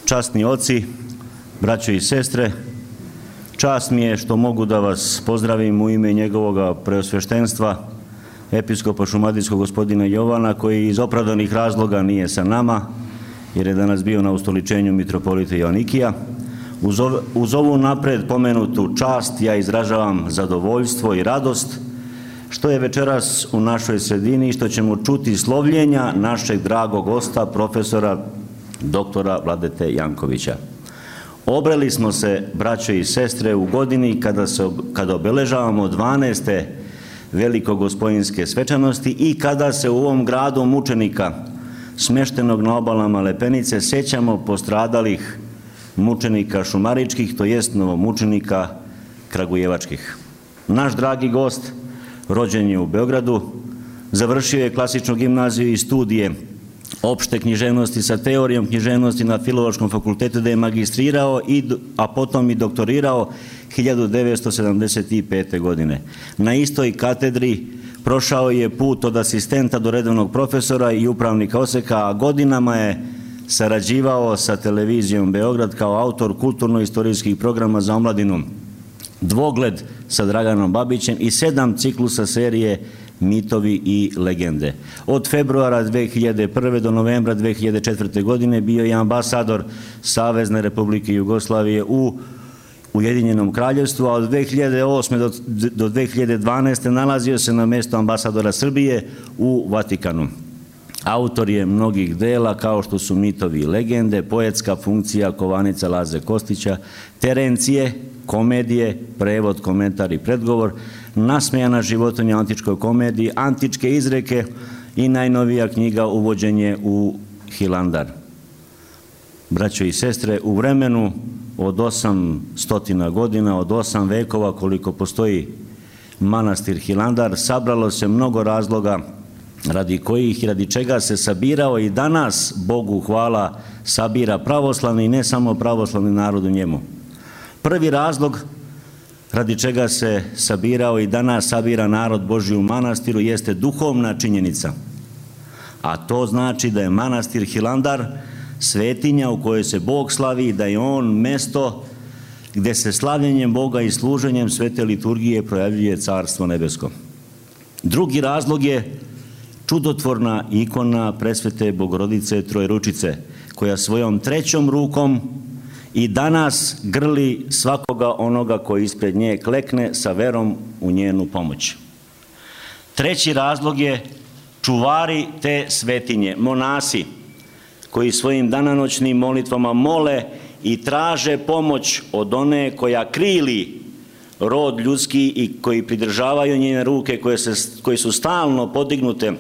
Časni oci, braćo i sestre, čast mi je što mogu da vas pozdravim u ime njegovog preosveštenstva, episkopa šumadijskog gospodina Jovana, koji iz opravdanih razloga nije sa nama, jer je danas bio na ustoličenju mitropolita Joanikija. Uz ovu napred pomenutu čast ja izražavam zadovoljstvo i radost što je večeras u našoj sredini i što ćemo čuti slovljenja našeg dragog gosta, profesora doktora Vladete Jankovića. Obreli smo se, braćo i sestre, u godini kada obeležavamo 12. velikogospojinske svečanosti i kada se u ovom gradu mučenika, smeštenog na obalama Lepenice, sećamo postradalih mučenika šumaričkih, to jest novomučenika kragujevačkih. Naš dragi gost rođen je u Beogradu, završio je klasičnu gimnaziju i studije opšte književnosti sa teorijom književnosti na Filološkom fakultetu, da je magistrirao, a potom i doktorirao 1975. godine. Na istoj katedri prošao je put od asistenta do redovnog profesora i upravnika odseka, a godinama je sarađivao sa televizijom Beograd kao autor kulturno-istorijskih programa za omladinu Dvogled sa Draganom Babićem i 7 ciklusa serije Mitovi i legende. Od februara 2001. do novembra 2004. godine bio je ambasador Savezne Republike Jugoslavije u Ujedinjenom Kraljevstvu, a od 2008. do 2012. nalazio se na mjestu ambasadora Srbije u Vatikanu. Autor je mnogih dela kao što su Mitovi i legende, poetska funkcija Kovanica Laze Kostića, Terencije, komedije, prevod, komentar i predgovor, Nasmejana životinja u antičkoj komediji, Antičke izreke i najnovija knjiga Uvođenje u Hilandar. Braćo i sestre, u vremenu od 800 godina, od 8 vekova koliko postoji manastir Hilandar, sabralo se mnogo razloga radi kojih i radi čega se sabirao i danas, Bogu hvala, sabira pravoslavni i ne samo pravoslavni narod u njemu. Prvi razlog radi čega se sabirao i danas sabira narod Božji u manastiru jeste duhovna činjenica, a to znači da je manastir Hilandar svetinja u kojoj se Bog slavi i da je on mesto gde se slavljenjem Boga i služenjem svete liturgije projavljuje Carstvo nebesko. Drugi razlog je čudotvorna ikona presvete Bogorodice Trojeručice, koja svojom trećom rukom i danas grli svakoga onoga koji ispred nje klekne sa verom u njenu pomoć. Treći razlog je čuvari te svetinje, monasi, koji svojim danonoćnim molitvama mole i traže pomoć od one koja krili rod ljudski i koji pridržavaju njene ruke, koje su stalno podignute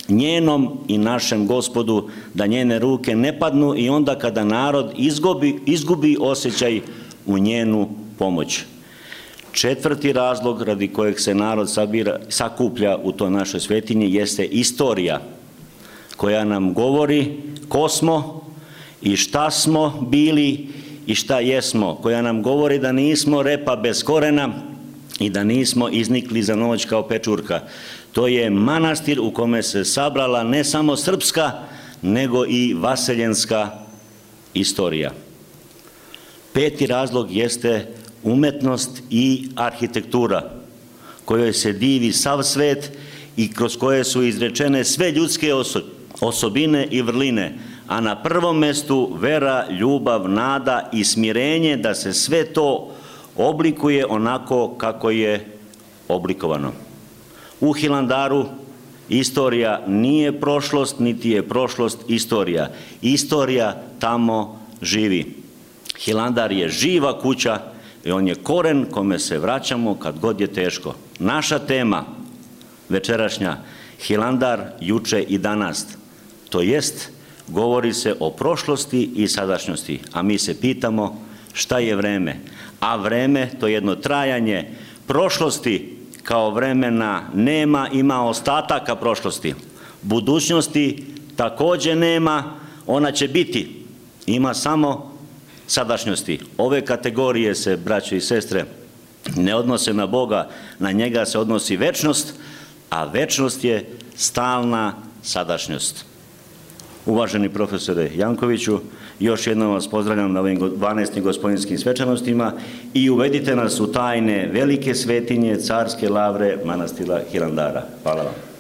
njenom i našem Gospodu, da njene ruke ne padnu i onda kada narod izgubi osjećaj u njenu pomoć. Četvrti razlog radi kojeg se narod sakuplja u toj našoj svetinji jeste istorija, koja nam govori ko smo i šta smo bili i šta jesmo, koja nam govori da nismo repa bez korena i da nismo iznikli za noć kao pečurka. To je manastir u kome se sabrala ne samo srpska, nego i vaseljenska istorija. Peti razlog jeste umetnost i arhitektura, kojoj se divi sav svet i kroz koje su izrečene sve ljudske osobine i vrline, a na prvom mestu vera, ljubav, nada i smirenje da se sve to oblikuje onako kako je oblikovano. U Hilandaru istorija nije prošlost, niti je prošlost istorija. Istorija tamo živi. Hilandar je živa kuća i on je koren kome se vraćamo kad god je teško. Naša tema večerašnja, Hilandar juče i danas, to jest govori se o prošlosti i sadašnjosti, a mi se pitamo šta je vreme. A vreme, to jedno trajanje prošlosti kao vremena nema, ima ostataka prošlosti. Budućnosti takođe nema, ona će biti, ima samo sadašnjosti. Ove kategorije se, braćo i sestre, ne odnose na Boga, na njega se odnosi večnost, a večnost je stalna sadašnjost. Uvaženi profesore Jankoviću, još jednom vas pozdravljam na ovim 12. gospodinskim svečanostima i uvedite nas u tajne velike svetinje, carske lavre manastira Hilandara. Hvala vam.